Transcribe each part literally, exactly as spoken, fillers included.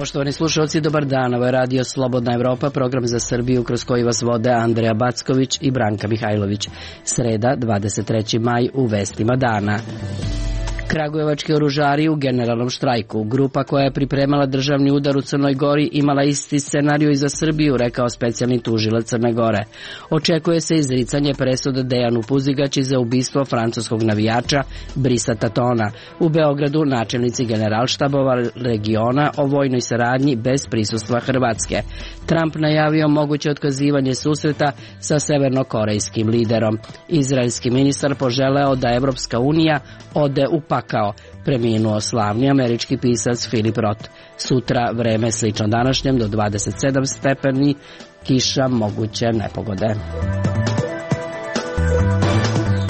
Poštovani slušalci, dobar dan. Ovo je Radio Slobodna Evropa, program za Srbiju kroz koji vas vode Andreja Backović i Branka Mihajlović. Sreda, dvadeset treći maj, u vestima dana. Kragujevački oružari u generalnom štrajku. Grupa koja je pripremala državni udar u Crnoj Gori imala isti scenariju i za Srbiju, rekao specijalni tužilac Crne Gore. Očekuje se izricanje presude Dejanu Puzigaći za ubistvo francuskog navijača Brisa Tatona. U Beogradu načelnici generalštabova regiona o vojnoj saradnji bez prisustva Hrvatske. Trump najavio moguće otkazivanje susreta sa severnokorejskim liderom. Izraelski ministar poželeo da Evropska unija ode u pakao. Preminuo slavni američki pisac Philip Roth. Sutra vreme slično današnjem do dvadeset sedam stepeni, kiša, moguće nepogode.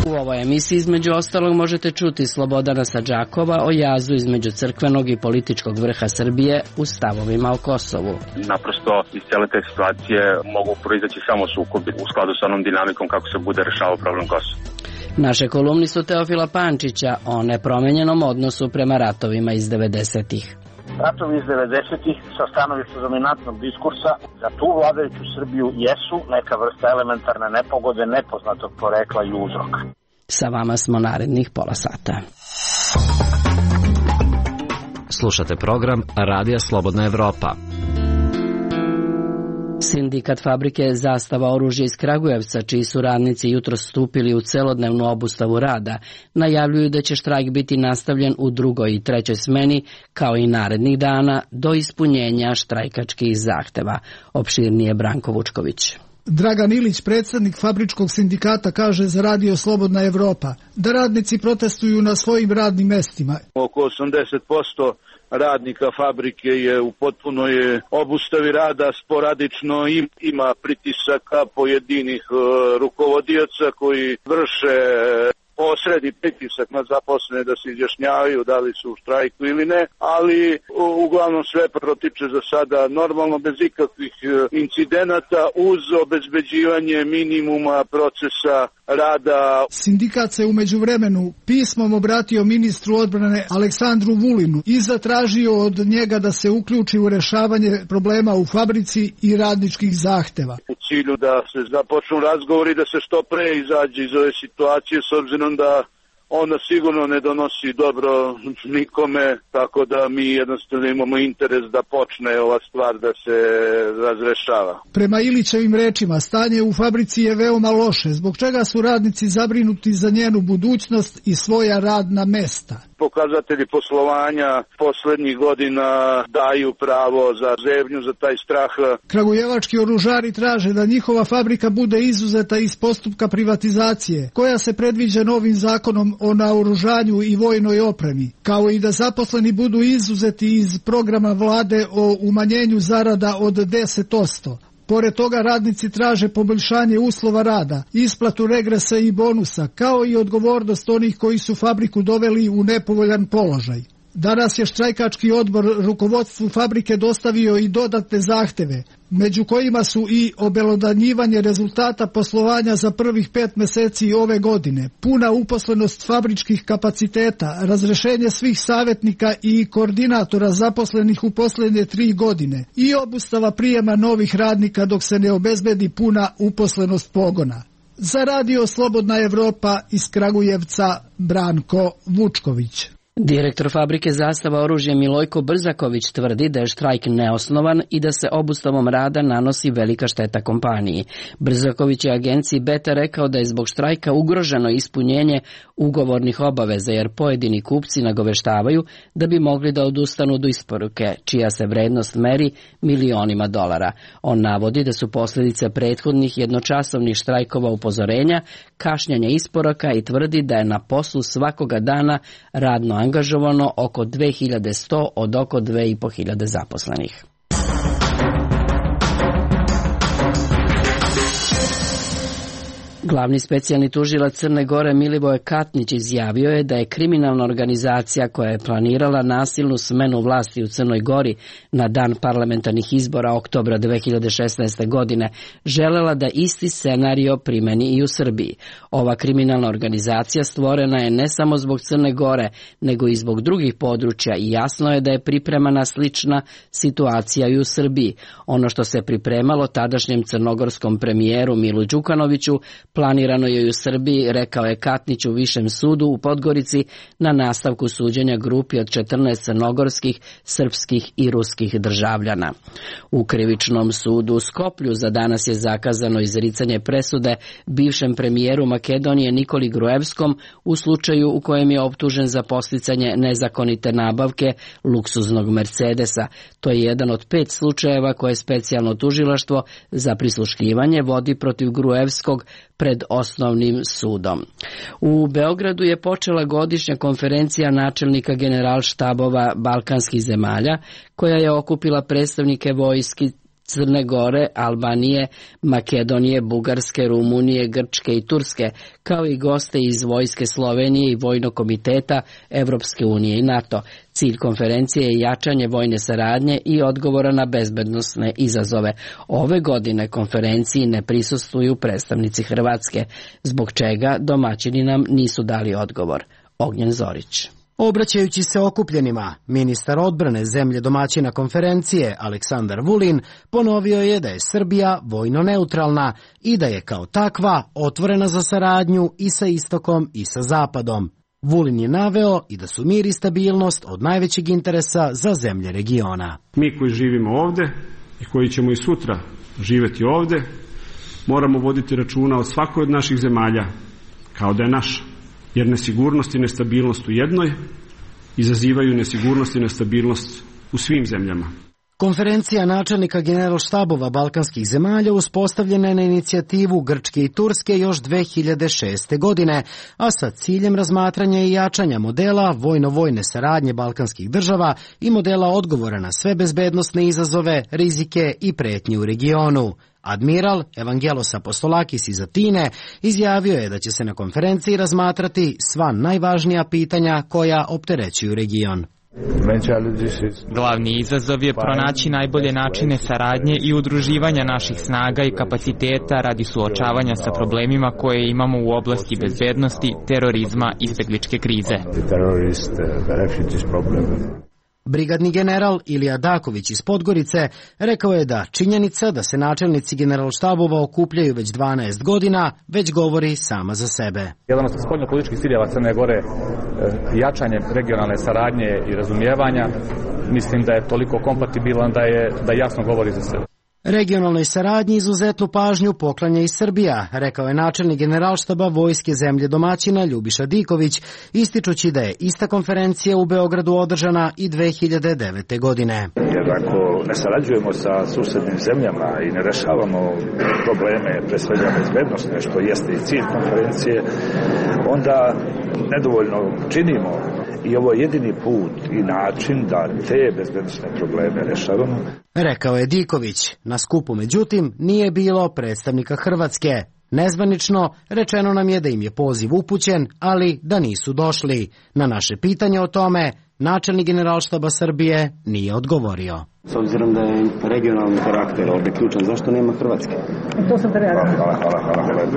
U ovoj emisiji između ostalog možete čuti Slobodana Sadžakova o jazu između crkvenog i političkog vrha Srbije u stavovima o Kosovu. Naprosto iz cijele te situacije mogu proizaći samo sukobi u skladu sa onom dinamikom kako se bude rešavao problem Kosova. Naše kolumni su Teofila Pančića o nepromenjenom odnosu prema ratovima iz devedesetih. Ratovi iz devedesetih sa stanovišta dominantnog diskursa za tu vladajuću Srbiju jesu neka vrsta elementarne nepogode nepoznatog porekla i uzroka. Sa vama smo narednih pola sata. Slušate program Radija Slobodna Evropa. Sindikat fabrike Zastava oružja iz Kragujevca, čiji su radnici jutros stupili u celodnevnu obustavu rada, najavljuju da će štrajk biti nastavljen u drugoj i trećoj smeni, kao i narednih dana, do ispunjenja štrajkačkih zahteva. Opširnije Branko Vučković. Dragan Ilić, predsjednik fabričkog sindikata, kaže za Radio Slobodna Evropa da radnici protestuju na svojim radnim mestima. Oko osamdeset posto radnika fabrike je u potpunoj obustavi rada, sporadično ima pritisaka pojedinih rukovodioca koji vrše posredni pritisak na zaposlene da se izjašnjavaju da li su u štrajku ili ne, ali uglavnom sve protiče za sada normalno, bez ikakvih incidenata, uz obezbeđivanje minimuma procesa rada. Sindikat se u međuvremenu pismom obratio ministru odbrane Aleksandru Vulinu i zatražio od njega da se uključi u rešavanje problema u fabrici i radničkih zahteva. U cilju da se započnu razgovori, da se što pre izađe iz ove situacije, s obzirom da ona sigurno ne donosi dobro nikome, tako da mi jednostavno imamo interes da počne ova stvar da se razrešava. Prema Ilićevim rečima, stanje u fabrici je veoma loše, zbog čega su radnici zabrinuti za njenu budućnost i svoja radna mesta. Pokazatelji poslovanja poslednjih godina daju pravo za zebnju, za taj strah. Kragujevački oružari traže da njihova fabrika bude izuzeta iz postupka privatizacije, koja se predviđa novim zakonom o naoružanju i vojnoj opremi, kao i da zaposleni budu izuzeti iz programa vlade o umanjenju zarada od deset posto. Pored toga radnici traže poboljšanje uslova rada, isplatu regresa i bonusa, kao i odgovornost onih koji su fabriku doveli u nepovoljan položaj. Danas je štrajkački odbor rukovodstvu fabrike dostavio i dodatne zahteve, među kojima su i obelodanjivanje rezultata poslovanja za prvih pet meseci ove godine, puna uposlenost fabričkih kapaciteta, razrešenje svih savjetnika i koordinatora zaposlenih u posljednje tri godine i obustava prijema novih radnika dok se ne obezbedi puna uposlenost pogona. Za Radio Slobodna Evropa iz Kragujevca, Branko Vučković. Direktor fabrike Zastava oružja Milojko Brzaković tvrdi da je štrajk neosnovan i da se obustavom rada nanosi velika šteta kompaniji. Brzaković je agenciji Beta rekao da je zbog štrajka ugroženo ispunjenje ugovornih obaveza, jer pojedini kupci nagoveštavaju da bi mogli da odustanu do isporuke, čija se vrednost meri milionima dolara. On navodi da su posljedice prethodnih jednočasovnih štrajkova upozorenja, kašnjenja isporuka i tvrdi da je na poslu svakoga dana radno angažovano oko dve hiljade sto od oko dve i po hiljade zaposlenih. Glavni specijalni tužilac Crne Gore Milivoje Katnić izjavio je da je kriminalna organizacija koja je planirala nasilnu smenu vlasti u Crnoj Gori na dan parlamentarnih izbora oktobra dve hiljade šesnaeste. godine želela da isti scenario primeni i u Srbiji. Ova kriminalna organizacija stvorena je ne samo zbog Crne Gore, nego i zbog drugih područja i jasno je da je pripremana slična situacija i u Srbiji. Ono što se pripremalo tadašnjem crnogorskom premijeru Milu Đukanoviću planirano je i u Srbiji, rekao je Katnić u Višem sudu u Podgorici na nastavku suđenja grupi od četrnaest crnogorskih, srpskih i ruskih državljana. U krivičnom sudu u Skoplju za danas je zakazano izricanje presude bivšem premijeru Makedonije Nikoli Gruevskom u slučaju u kojem je optužen za podsticanje nezakonite nabavke luksuznog Mercedesa. To je jedan od pet slučajeva koje specijalno tužilaštvo za prisluškivanje vodi protiv Gruevskog pred osnovnim sudom. U Beogradu je počela godišnja konferencija načelnika generalštabova balkanskih zemalja, koja je okupila predstavnike vojski Crne Gore, Albanije, Makedonije, Bugarske, Rumunije, Grčke i Turske, kao i goste iz vojske Slovenije i Vojnog komiteta Evropske unije i NATO. Cilj konferencije je jačanje vojne saradnje i odgovora na bezbednosne izazove. Ove godine konferenciji ne prisustvuju predstavnici Hrvatske, zbog čega domaćini nam nisu dali odgovor. Ognjen Zorić. Obraćajući se okupljenima, ministar odbrane zemlje domaćina konferencije Aleksandar Vulin ponovio je da je Srbija vojno neutralna i da je kao takva otvorena za saradnju i sa istokom i sa zapadom. Vulin je naveo i da su mir i stabilnost od najvećeg interesa za zemlje regiona. Mi koji živimo ovde i koji ćemo i sutra živeti ovde, moramo voditi računa o svakoj od naših zemalja kao da je naša. Jer nesigurnost i nestabilnost u jednoj izazivaju nesigurnost i nestabilnost u svim zemljama. Konferencija načelnika generalštabova balkanskih zemalja uspostavljena je na inicijativu Grčke i Turske još dve hiljade šeste. godine, a sa ciljem razmatranja i jačanja modela vojno-vojne saradnje balkanskih država i modela odgovora na sve bezbednosne izazove, rizike i pretnje u regionu. Admiral Evangelos Apostolakis iz Atine izjavio je da će se na konferenciji razmatrati sva najvažnija pitanja koja opterećuju region. Glavni izazov je pronaći najbolje načine saradnje i udruživanja naših snaga i kapaciteta radi suočavanja sa problemima koje imamo u oblasti bezbednosti, terorizma i izbegličke krize. Brigadni general Ilija Daković iz Podgorice rekao je da činjenica da se načelnici generalštabova okupljaju već dvanaest godina već govori sama za sebe. Jedan od spoljnopolitičkih ciljeva Crne Gore jačanje regionalne saradnje i razumijevanja, mislim da je toliko kompatibilan da je da jasno govori za sebe. Regionalnoj saradnji izuzetnu pažnju poklanja i Srbija, rekao je načelnik generalštaba vojske zemlje domaćina Ljubiša Diković, ističući da je ista konferencija u Beogradu održana i dve hiljade devete. godine. Jer ako ne sarađujemo sa susednim zemljama i ne rešavamo probleme, pre svega bezbednosne, što jeste i cilj konferencije, onda nedovoljno činimo. I ovo je jedini put i način da te bezbednosne probleme rešavamo. Rekao je Diković. Na skupu, međutim, nije bilo predstavnika Hrvatske. Nezvanično rečeno nam je da im je poziv upućen, ali da nisu došli. Na naše pitanje o tome, načelnik generalštaba Srbije nije odgovorio. S obzirom da je regionalni karakter ovdje ključan, zašto nema Hrvatske? To sam da reagujem. Hvala, hvala, hvala,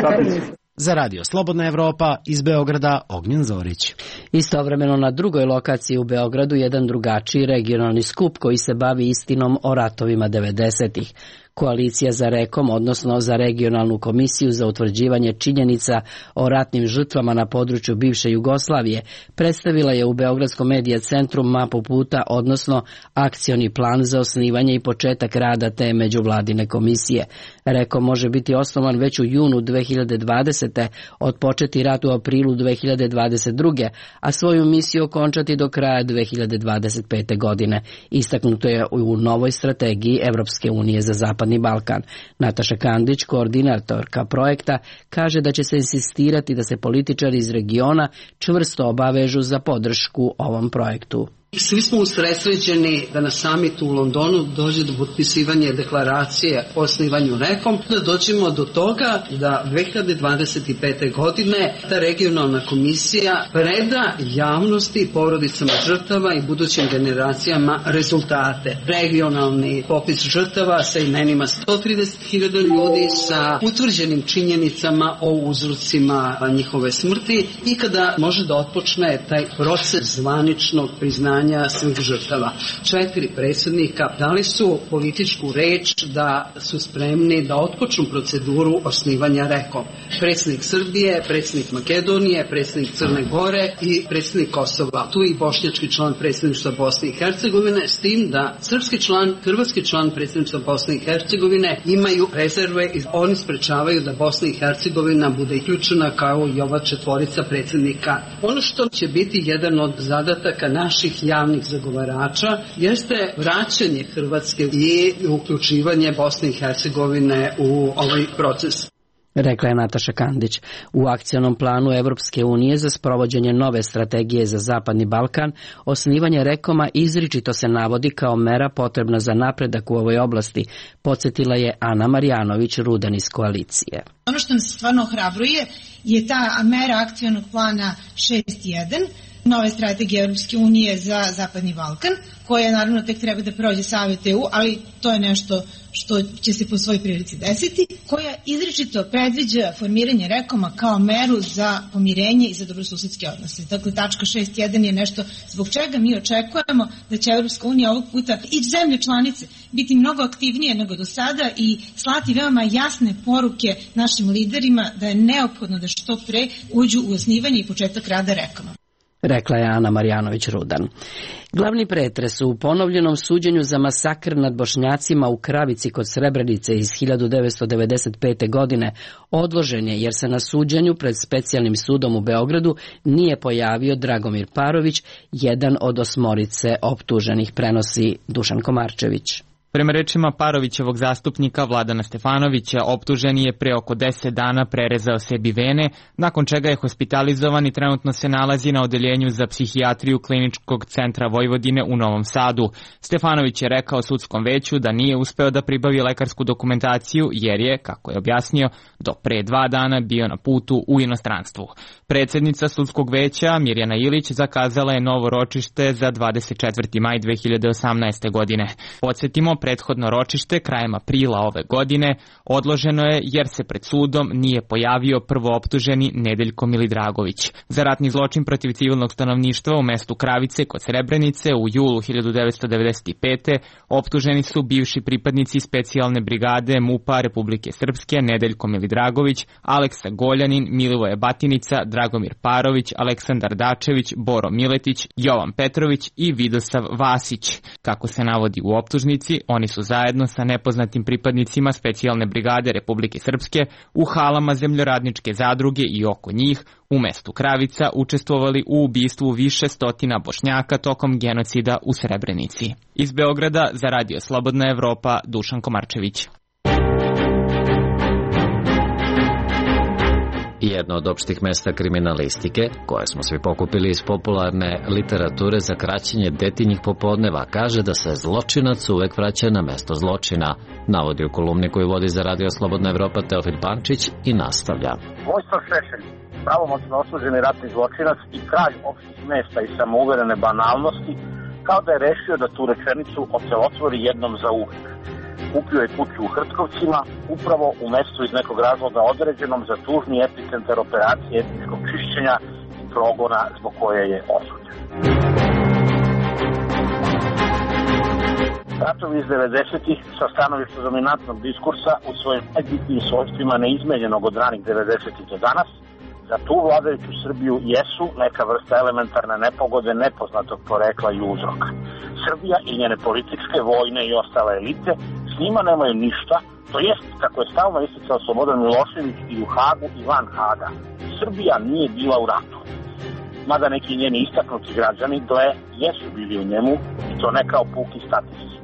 hvala. Za Radio Slobodna Evropa iz Beograda Ognjen Zorić. Istovremeno na drugoj lokaciji u Beogradu jedan drugačiji regionalni skup koji se bavi istinom o ratovima devedesetih. Koalicija za Rekom, odnosno za regionalnu komisiju za utvrđivanje činjenica o ratnim žrtvama na području bivše Jugoslavije, predstavila je u Beogradskom medija centru mapu puta, odnosno akcioni plan za osnivanje i početak rada te međuvladine komisije. Rekom može biti osnovan već u junu dve hiljade dvadesete. odpočeti rat u aprilu dve hiljade dvadeset druge. a svoju misiju okončati do kraja dve hiljade dvadeset pete. godine. Istaknuto je u novoj strategiji Evropske unije za Zapadni Balkan. Nataša Kandić, koordinatorka projekta, kaže da će se insistirati da se političari iz regiona čvrsto obavežu za podršku ovom projektu. Svi smo usredsređeni da na samitu u Londonu dođe do potpisivanja deklaracije o osnivanju rekom, da dođemo do toga da dve hiljade dvadeset pete. godine ta regionalna komisija preda javnosti, porodicama žrtava i budućim generacijama rezultate. Regionalni popis žrtava sa imenima sto trideset hiljada ljudi, sa utvrđenim činjenicama o uzrocima njihove smrti i kada može da otpočne taj proces zvaničnog priznanja svih žrtava. Četiri predsjednika dali su političku reč da su spremni da otpočnu proceduru osnivanja rekom. Predsjednik Srbije, predsjednik Makedonije, predsjednik Crne Gore i predsjednik Kosova. Tu i bošnjački član predsjedništva Bosne i Hercegovine, s tim da srpski član, hrvatski član predsjedništva Bosne i Hercegovine imaju rezerve i oni sprečavaju da Bosna i Hercegovina bude uključena kao i ova četvorica predsjednika. Ono što će biti jedan od zadataka naših javnih zagovarača jeste vraćanje Hrvatske i uključivanje Bosne i Hercegovine u ovaj proces. Rekla je Nataša Kandić. U akcionom planu Evropske unije za sprovođenje nove strategije za Zapadni Balkan, osnivanje rekoma izričito se navodi kao mera potrebna za napredak u ovoj oblasti, podsjetila je Ana Marjanović Rudan iz koalicije. Ono što nas stvarno ohrabruje je ta mera akcionog plana šest jedan, nove strategije Europske unije za Zapadni Balkan, koja naravno tek treba da prođe Savet E U, ali to je nešto što će se po svoj prilici desiti, koja izričito predviđa formiranje rekoma kao meru za pomirenje i za dobrosusedske odnose. Dakle, tačka šest jedan je nešto zbog čega mi očekujemo da će Europska unija ovog puta i zemlje članice biti mnogo aktivnije nego do sada i slati veoma jasne poruke našim liderima da je neophodno da što pre uđu u osnivanje i početak rada rekoma. Rekla je Ana Marjanović Rudan. Glavni pretres u ponovljenom suđenju za masakr nad Bošnjacima u Kravici kod Srebrenice iz hiljadu devetsto devedeset pete. godine odložen je jer se na suđenju pred specijalnim sudom u Beogradu nije pojavio Dragomir Parović, jedan od osmorice optuženih, prenosi Dušan Komarčević. Prema rečima Parovićevog zastupnika Vladana Stefanovića, optuženi je pre oko deset dana prerezao sebi vene, nakon čega je hospitalizovan i trenutno se nalazi na odeljenju za psihijatriju Kliničkog centra Vojvodine u Novom Sadu. Stefanović je rekao sudskom veću da nije uspeo da pribavi lekarsku dokumentaciju jer je, kako je objasnio, do pre dva dana bio na putu u inostranstvu. Predsjednica sudskog veća Mirjana Ilić zakazala je novo ročište za dvadeset četvrti maj dve hiljade osamnaeste. godine. Podsjetimo, prethodno ročište krajem aprila ove godine odloženo je jer se pred sudom nije pojavio prvooptuženi Nedeljko Milidragović. Za ratni zločin protiv civilnog stanovništva u mestu Kravice kod Srebrenice u julu hiljadu devetsto devedeset pete. optuženi su bivši pripadnici specijalne brigade MUP-a Republike Srpske Nedeljko Milidragović, Aleksa Goljanin, Milivoje Batinica, Dragomir Parović, Aleksandar Dačević, Boro Miletić, Jovan Petrović i Vidosav Vasić. Kako se navodi u optužnici, oni su zajedno sa nepoznatim pripadnicima specijalne brigade Republike Srpske u halama zemljoradničke zadruge i oko njih u mestu Kravica učestvovali u ubistvu više stotina Bošnjaka tokom genocida u Srebrenici. Iz Beograda za Radio Slobodna Evropa, Dušan Komarčević. Jedno od opštih mesta kriminalistike, koje smo svi pokupili iz popularne literature za kraćenje detinjih popodneva, kaže da se zločinac uvek vraća na mesto zločina, navodi u kolumni koju vodi za Radio Slobodna Evropa Teofil Pančić i nastavlja. Vojislav Šešelj, pravomoćno osuđeni ratni zločinac i kralj opštih mesta i samouverene banalnosti, kao da je rešio da tu rečenicu ocelotvori jednom za uvek. Kupio je kuću u Hrtkovcima, upravo u mestu iz nekog razloga određenom za tužni epicentar operacije etničkog čišćenja i progona zbog koje je osuđen. Ratovi iz devedesetih sa stanovišta dominantnog diskursa u svojim najbitnijim svojstvima neizmenjenog od ranih devedesetih do danas, za tu vladajuću Srbiju jesu neka vrsta elementarne nepogode nepoznatog porekla i uzroka. Srbija i njene političke, vojne i ostale elite s njima nemaju ništa, to jest, kako je stalno isticao Slobodan Milošević i u Hagu i van Haga. Srbija nije bila u ratu. Mada neki njeni istaknuti građani gle jesu bili u njemu i to ne kao puki statisti.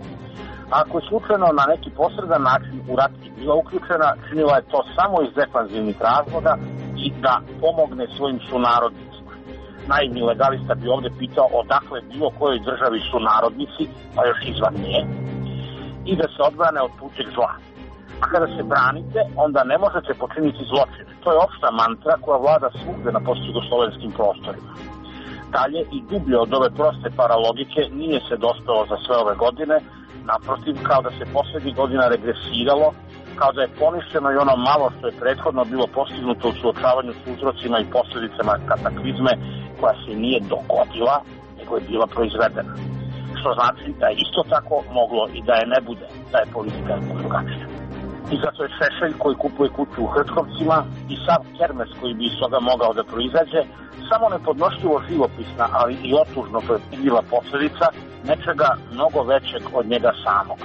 Ako je slučajno na neki posredan način u rat i bila uključena, činila je to samo iz defanzivnih razloga i da pomogne svojim sunarodnicima. naivni legalista bi ovde pitao odakle bilo kojoj državi su narodnici, pa još izvan nje, i da se odbrane od tuđeg zla. A kada se branite, onda ne možete počiniti zločin. To je opšta mantra koja vlada svugde na postjugoslovenskim prostorima. Dalje i dublje od ove proste paralogike nije se dospelo za sve ove godine, naprotiv, kao da se poslednjih godina regresiralo, kao da je poništeno i ono malo što je prethodno bilo postignuto u suočavanju s uzrocima i posledicama kataklizme koja se nije dogodila, nego je bila proizvedena. Što znači da je isto tako moglo i da je ne bude, da je politika drugačija. I zato je Šešelj koji kupuje kuću u Hrtkovcima i sav kermes koji bi iz toga mogao da proizađe samo nepodnošljivo živopisna, ali i otužno predvidljiva posledica nečega mnogo većeg od njega samog.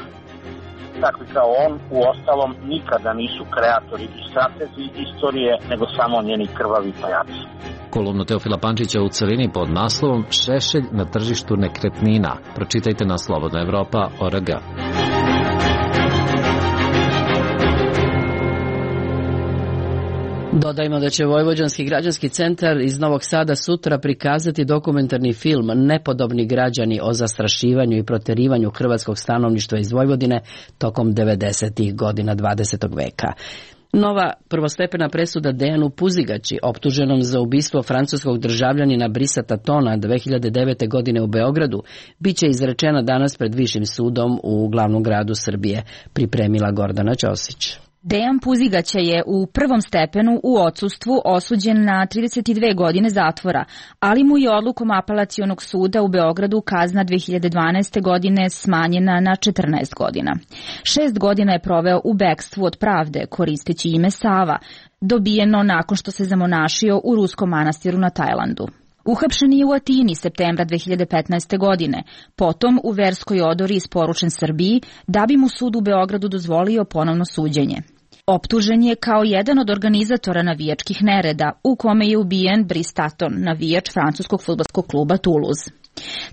Takvi kao on, u ostalom, nikada nisu kreatori i stratezi istorije, nego samo njeni krvavi pajaci. Kolumnu Teofila Pančića u celini pod naslovom Šešelj na tržištu nekretnina. Pročitajte na slobodna evropa tačka org. Dodajmo da će Vojvođanski građanski centar iz Novog Sada sutra prikazati dokumentarni film Nepodobni građani o zastrašivanju i proterivanju hrvatskog stanovništva iz Vojvodine tokom devedesetih godina dvadesetog veka. Nova prvostepena presuda Dejanu Puzigaći, optuženom za ubistvo francuskog državljanina Brisata Tona dve hiljade devete. godine u Beogradu, biće izrečena danas pred Višim sudom u glavnom gradu Srbije, pripremila Gordana Ćosić. Dejan Puzigaća je u prvom stepenu u odsustvu osuđen na trideset dve godine zatvora, ali mu je odlukom Apelacionog suda u Beogradu kazna dve hiljade dvanaeste. godine smanjena na četrnaest godina. Šest godina je proveo u bekstvu od pravde, koristeći ime Sava, dobijeno nakon što se zamonašio u ruskom manastiru na Tajlandu. Uhapšen je u Atini septembra dve hiljade petnaeste. godine, potom u verskoj odori isporučen Srbiji da bi mu sud u Beogradu dozvolio ponovno suđenje. Optužen je kao jedan od organizatora navijačkih nereda u kome je ubijen Brice Taton, navijač francuskog fudbalskog kluba Toulouse.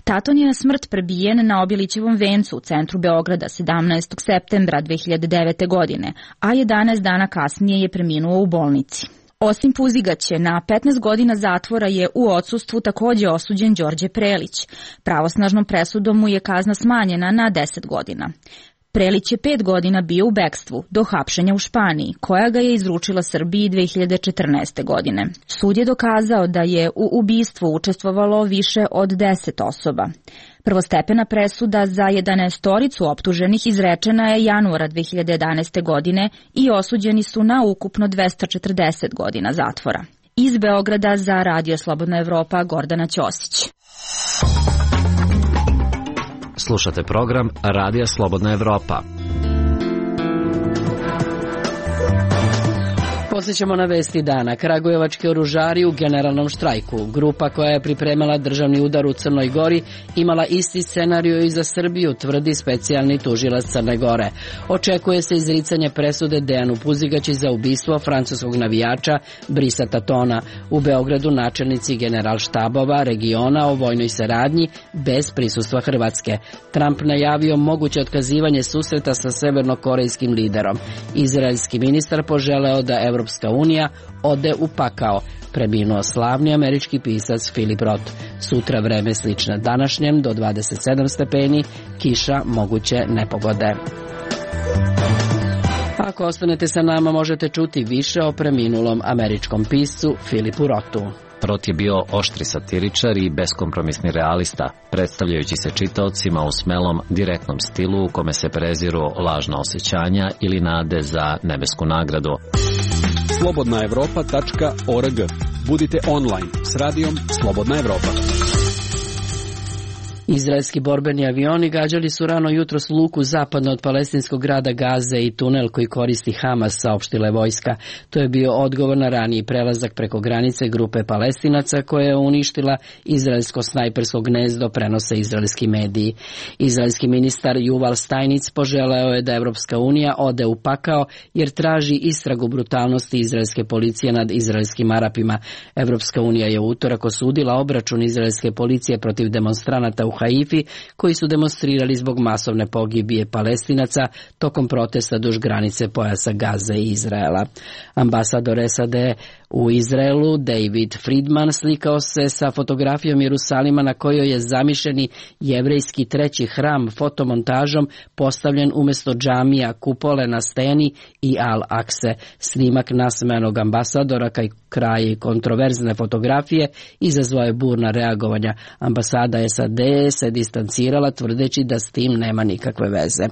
Taton je na smrt prebijen na Obilićevom vencu u centru Beograda sedamnaestog septembra dve hiljade devete. godine, a jedanaest dana kasnije je preminuo u bolnici. Osim Puzigaće, na petnaest godina zatvora je u odsustvu takođe osuđen Đorđe Prelić. Pravosnažnom presudom mu je kazna smanjena na deset godina. Prelić je pet godina bio u bekstvu do hapšenja u Španiji, koja ga je izručila Srbiji dve hiljade četrnaeste. godine. Sud je dokazao da je u ubistvu učestvovalo više od deset osoba. Prvostepena presuda za jedanaestoricu optuženih izrečena je januara dve hiljade jedanaeste. godine i osuđeni su na ukupno dvesta četrdeset godina zatvora. Iz Beograda za Radio Slobodna Evropa, Gordana Ćosić. Slušate program Radija Slobodna Evropa. Podsjećamo na vesti dana. Kragujevački oružari u generalnom štrajku. Grupa koja je pripremala državni udar u Crnoj Gori imala isti scenariju i za Srbiju, tvrdi specijalni tužilac Crne Gore. Očekuje se izricanje presude Dejanu Puzigaći za ubistvo francuskog navijača Brisata Tona. U Beogradu načelnici generalštabova regiona o vojnoj saradnji bez prisustva Hrvatske. Trump najavio moguće otkazivanje susreta sa severnokorejskim liderom. Izraelski ministar poželeo da Evropska unija ode u pakao. Preminuo slavni američki pisac Philip Roth. Sutra vreme slično današnjem do dvadeset sedam stepeni, kiša, moguće nepogode. Ako ostanete sa nama, možete čuti više o preminulom američkom piscu Philipu Rothu. Roth je bio oštri satiričar i beskompromisni realista, predstavljajući se čitaocima u smelom, direktnom stilu u kome se preziru lažna osjećanja ili nade za nebesku nagradu. slobodna evropa tačka org. Budite online s radijom Slobodna Evropa. Izraelski borbeni avioni gađali su rano jutros luku zapadno od palestinskog grada Gaze i tunel koji koristi Hamas, saopštila je vojska. To je bio odgovor na raniji prelazak preko granice grupe Palestinaca koja je uništila izraelsko snajpersko gnezdo, prenose izraelski mediji. Izraelski ministar Juval Stajnic poželeo je da Evropska unija ode u pakao jer traži istragu brutalnosti izraelske policije nad izraelskim Arapima. Evropska unija je u utorak osudila obračun izraelske policije protiv demonstranata u Haifi koji su demonstrirali zbog masovne pogibije Palestinaca tokom protesta duž granice pojasa Gaze i Izraela. Ambasador S A D U Izraelu David Friedman slikao se sa fotografijom Jerusalima na kojoj je zamišljeni jevrejski treći hram fotomontažom postavljen umjesto džamija, kupole na steni i Al-Akse. Snimak nasmejanog ambasadora kaj kraj kontroverzne fotografije izazvao je burna reagovanja. Ambasada S A D se distancirala tvrdeći da s tim nema nikakve veze.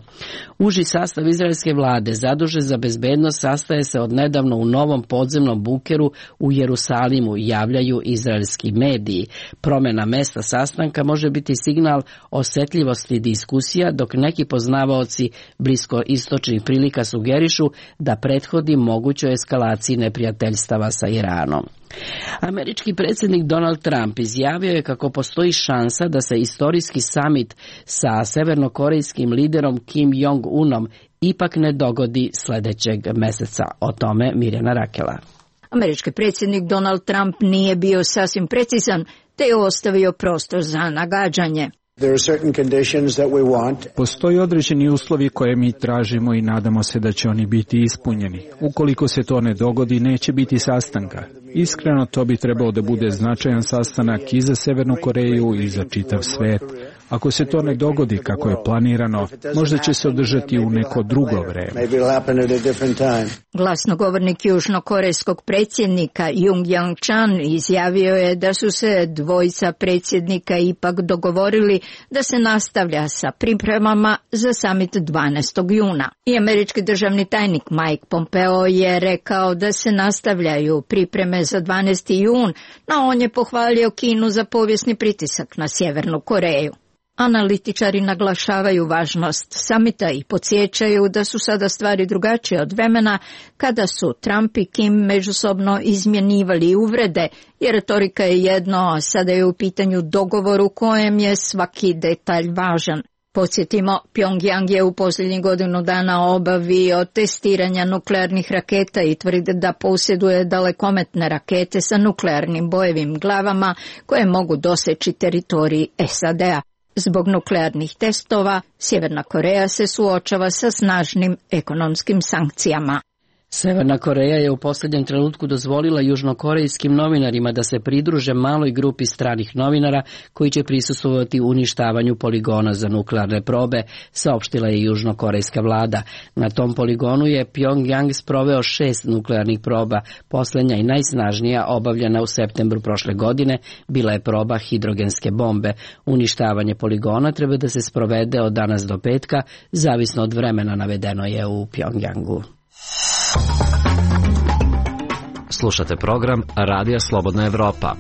Uži sastav izraelske vlade zadužen za bezbednost sastaje se od nedavno u novom podzemnom bunkeru u Jerusalimu, javljaju izraelski mediji. Promjena mesta sastanka može biti signal osjetljivosti diskusija, dok neki poznavaoci blisko istočnih prilika sugerišu da prethodi mogućoj eskalaciji neprijateljstava sa Iranom. Američki predsjednik Donald Trump izjavio je kako postoji šansa da se istorijski samit sa severnokorejskim liderom Kim Jong-unom ipak ne dogodi sljedećeg mjeseca. O tome Mirjana Rakela. Američki predsjednik Donald Trump nije bio sasvim precizan, te je ostavio prostor za nagađanje. Postoji određeni uslovi koje mi tražimo i nadamo se da će oni biti ispunjeni. Ukoliko se to ne dogodi, neće biti sastanka. Iskreno, to bi trebao da bude značajan sastanak i za Severnu Koreju i za čitav svet. Ako se to ne dogodi kako je planirano, možda će se održati u neko drugo vreme. Glasnogovornik južnokorejskog predsjednika Jung Yang-chan izjavio je da su se dvojica predsjednika ipak dogovorili da se nastavlja sa pripremama za samit dvanaestog juna. I američki državni tajnik Mike Pompeo je rekao da se nastavljaju pripreme za dvanaesti jun, no on je pohvalio Kinu za povijesni pritisak na Sjevernu Koreju. Analitičari naglašavaju važnost samita i podsjećaju da su sada stvari drugačije od vremena kada su Trump i Kim međusobno izmjenjivali uvrede, jer retorika je jedno, a sada je u pitanju dogovor u kojem je svaki detalj važan. Podsjetimo, Pyongyang je u posljednjih godinu dana obavio testiranja nuklearnih raketa i tvrdi da posjeduje dalekometne rakete sa nuklearnim bojevim glavama koje mogu doseći teritorij S A D-a. Zbog nuklearnih testova, Sjeverna Koreja se suočava sa snažnim ekonomskim sankcijama. Severna Koreja je u posljednjem trenutku dozvolila južnokorejskim novinarima da se pridruže maloj grupi stranih novinara koji će prisustvovati uništavanju poligona za nuklearne probe, saopštila je južnokorejska vlada. Na tom poligonu je Pyongyang sproveo šest nuklearnih proba. Posljednja i najsnažnija, obavljena u septembru prošle godine, bila je proba hidrogenske bombe. Uništavanje poligona treba da se sprovede od danas do petka, zavisno od vremena, navedeno je u Pyongyangu. Slušate program Radija Slobodna Evropa.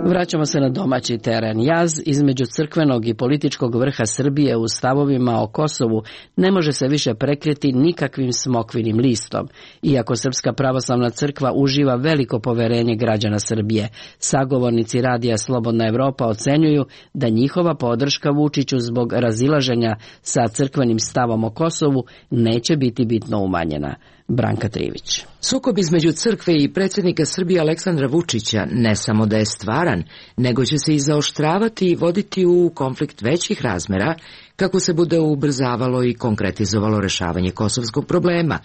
Vraćamo se na domaći teren. Jaz između crkvenog i političkog vrha Srbije u stavovima o Kosovu ne može se više prekriti nikakvim smokvinim listom. Iako Srpska pravoslavna crkva uživa veliko poverenje građana Srbije, sagovornici Radija Slobodna Evropa ocenjuju da njihova podrška Vučiću zbog razilaženja sa crkvenim stavom o Kosovu neće biti bitno umanjena. Branka Trivić. Sukob između crkve i predsjednika Srbije Aleksandra Vučića ne samo da je stvaran, nego će se i zaoštravati i voditi u konflikt većih razmera kako se bude ubrzavalo i konkretizovalo rešavanje kosovskog problema,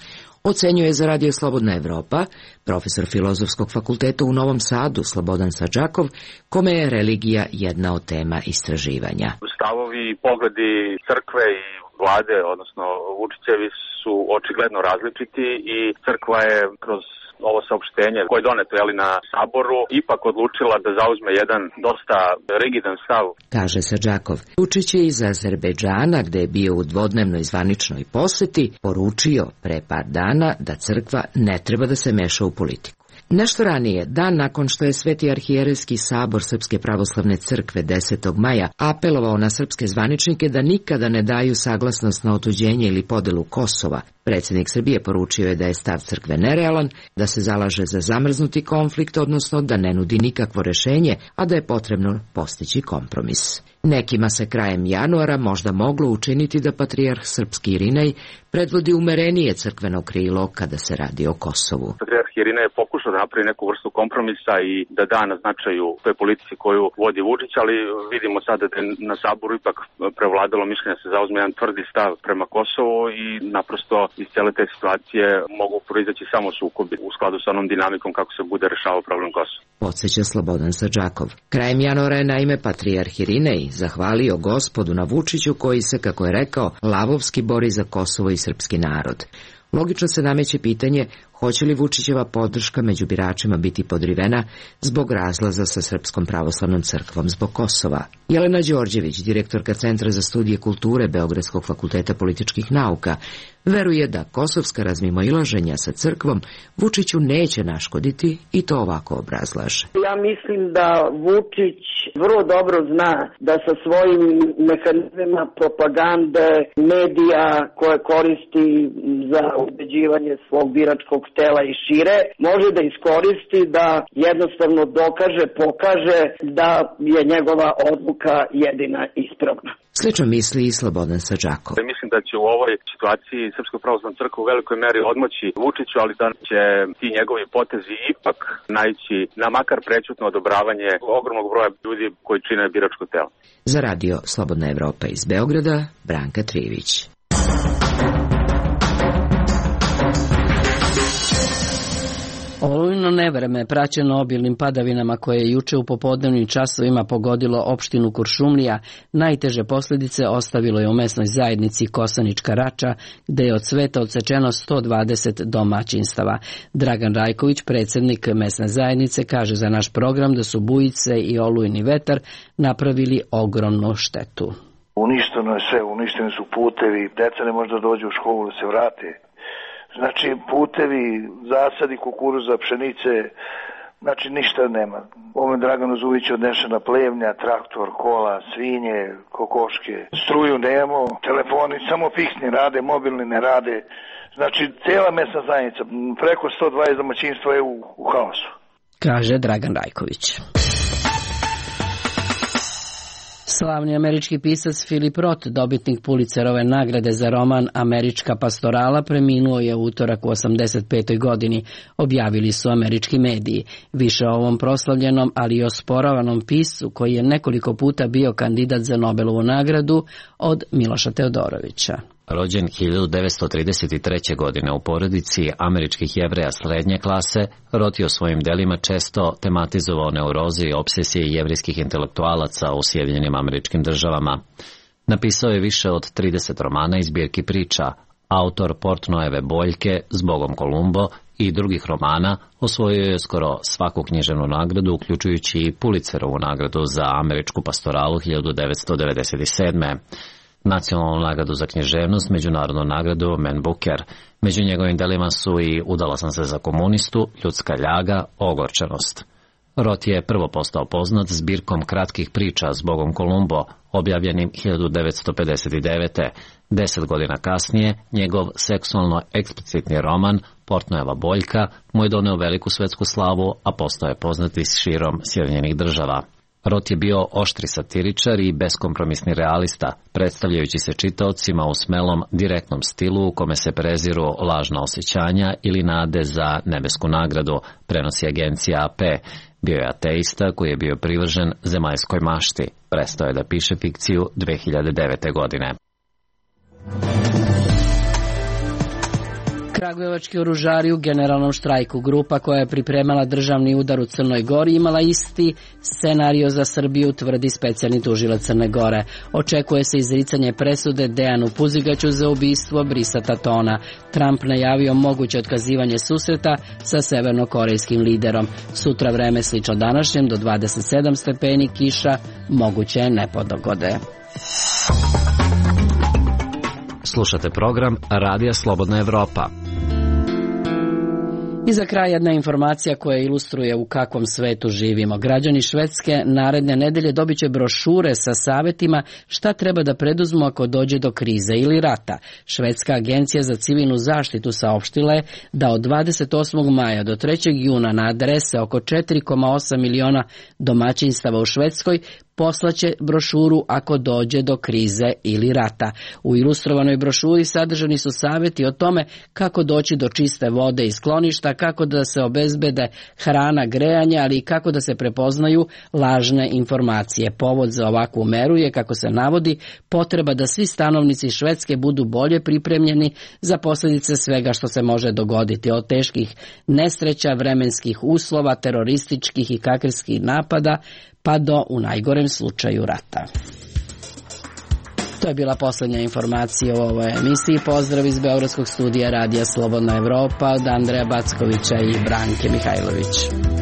ocenjuje za Radio Slobodna Evropa profesor Filozofskog fakulteta u Novom Sadu Slobodan Sadžakov, kome je religija jedna od tema istraživanja. Stavovi i pogledi crkve i vlade, odnosno Vučićevi, su očigledno različiti i crkva je kroz ovo saopštenje koje je doneto jeli, na saboru ipak odlučila da zauzme jedan dosta rigidan stav. Kaže Sadžakov. Vučić je iz Azerbejdžana, gde je bio u dvodnevnoj zvaničnoj poseti, poručio pre par dana da crkva ne treba da se meša u politiku. Nešto ranije, dan nakon što je Sveti arhijerejski sabor Srpske pravoslavne crkve desetog maja apelovao na srpske zvaničnike da nikada ne daju saglasnost na otuđenje ili podelu Kosova, predsjednik Srbije poručio je da je stav crkve nerealan, da se zalaže za zamrznuti konflikt, odnosno da ne nudi nikakvo rešenje, a da je potrebno postići kompromis. Nekima se krajem januara možda moglo učiniti da patrijarh srpski Irinej predvodi umerenije crkveno krilo kada se radi o Kosovu. Patrijarh Irinej je pokušao da napravi neku vrstu kompromisa i da da na značaju toj politici koju vodi Vučić, ali vidimo sada da je na Saboru ipak prevladalo mišljenje da se zauzme jedan tvrdi stav prema Kosovu i naprosto iz cele te situacije mogu proizaći samo sukobi u skladu sa onom dinamikom kako se bude rešavao problem Kosova. Podseća Slobodan Sadžakov. Krajem januara je naime patrijarh Irinej zahvalio Gospodu na Vučiću koji se, kako je rekao, lavovski bori za Kosovo i srpski narod. Logično se nameće pitanje hoće li Vučićeva podrška među biračima biti podrivena zbog razlaza sa Srpskom pravoslavnom crkvom zbog Kosova. Jelena Đorđević, direktorka Centra za studije kulture Beogradskog fakulteta političkih nauka, veruje da kosovska razmimoilaženja sa crkvom Vučiću neće naškoditi i to ovako obrazlaže. Ja mislim da Vučić vrlo dobro zna da sa svojim mehanizmima propagande, medija koje koristi za ubeđivanje svog biračkog tela i šire, može da iskoristi da jednostavno dokaže, pokaže da je njegova odluka jedina ispravna. Slično misli i Slobodan Sadžakov. Mislim da će u ovoj situaciji Srpska pravoslavna crkva u velikoj meri odmoći Vučiću, ali da će ti njegovi potezi ipak naići na makar prećutno odobravanje ogromnog broja ljudi koji čine biračko telo. Za radio Slobodna Evropa iz Beograda, Branka Trivić. Olujno nevreme, praćeno obilnim padavinama koje je juče u popodnevnim časovima pogodilo opštinu Kuršumlija, najteže posljedice ostavilo je u mesnoj zajednici Kosanička Rača, gde je od sveta odsečeno sto dvadeset domaćinstava. Dragan Rajković, predsjednik mesne zajednice, kaže za naš program da su bujice i olujni vetar napravili ogromnu štetu. Uništeno je sve, uništeni su putevi, deca ne može da dođu u školu da se vrate. Znači putevi, zasadi kukuruza, pšenice, znači ništa nema. Ovo je Draganu Zuviću odnešena plevnja, traktor, kola, svinje, kokoške. Struju nemamo, telefoni samo fiksni rade, mobilni ne rade. Znači cijela mesna zajednica, preko sto dvadeset domaćinstva je u, u haosu. Kaže Dragan Rajković. Slavni američki pisac Philip Roth, dobitnik Pulitzerove nagrade za roman Američka pastorala, preminuo je u utorak u osamdeset petoj godini, objavili su američki mediji. Više o ovom proslavljenom, ali i osporavanom piscu, koji je nekoliko puta bio kandidat za Nobelovu nagradu, od Miloša Teodorovića. Rođen hiljadu devetsto trideset treće. godine u porodici američkih Jevreja srednje klase, Roth je u svojim delima često tematizovao neuroze i obsesije jevrijskih intelektualaca u Sjedinjenim Američkim Državama. Napisao je više od trideset romana i zbirki priča. Autor Portnoeve Boljke, Zbogom Kolumbo i drugih romana osvojio je skoro svaku književnu nagradu, uključujući i Pulitzerovu nagradu za američku pastoralu hiljadu devetsto devedeset sedme. Nacionalnu nagradu za književnost, međunarodnu nagradu Man Booker. Među njegovim delima su i Udala sam se za komunistu, Ljudska ljaga, Ogorčenost. Roth je prvo postao poznat zbirkom kratkih priča Zbogom Kolumbo, objavljenim hiljadu devetsto pedeset devete. Deset godina kasnije, njegov seksualno eksplicitni roman Portnoeva Boljka mu je doneo veliku svetsku slavu, a postao je poznat i širom Sjedinjenih Država. Roth je bio oštri satiričar i beskompromisni realista, predstavljajući se čitaocima u smelom, direktnom stilu u kome se preziru lažna osjećanja ili nade za nebesku nagradu, prenosi agencija A P. Bio je ateista koji je bio privržen zemaljskoj mašti. Prestao je da piše fikciju dve hiljade devete. godine. Kragujevački oružari u generalnom štrajku. Grupa koja je pripremala državni udar u Crnoj Gori imala isti scenario za Srbiju, tvrdi specijalni tužilac Crne Gore. Očekuje se izricanje presude Dejanu Puzigaću za ubistvo Brisa Tatona. Trump najavio moguće otkazivanje susreta sa severnokorejskim liderom. Sutra vreme slično današnjem, do dvadeset sedam stepeni, kiša, moguće nepodogode. Slušate program Radija Slobodna Evropa. I za kraj jedna informacija koja ilustruje u kakvom svetu živimo. Građani Švedske naredne nedelje dobit će brošure sa savjetima šta treba da preduzmu ako dođe do krize ili rata. Švedska agencija za civilnu zaštitu saopštila je da od dvadeset osmog maja do trećeg juna na adrese oko četiri zarez osam miliona domaćinstava u Švedskoj poslaće brošuru ako dođe do krize ili rata. U ilustrovanoj brošuri sadržani su savjeti o tome kako doći do čiste vode i skloništa, kako da se obezbede hrana, grejanje, ali i kako da se prepoznaju lažne informacije. Povod za ovakvu meru je, kako se navodi, potreba da svi stanovnici Švedske budu bolje pripremljeni za posljedice svega što se može dogoditi, od teških nesreća, vremenskih uslova, terorističkih i kakerskih napada, pa do, u najgorem slučaju, rata. To je bila posljednja informacija u ovoj emisiji. Pozdrav iz Beogradskog studija Radija Slobodna Evropa od Andreja Backovića i Branke Mihajlović.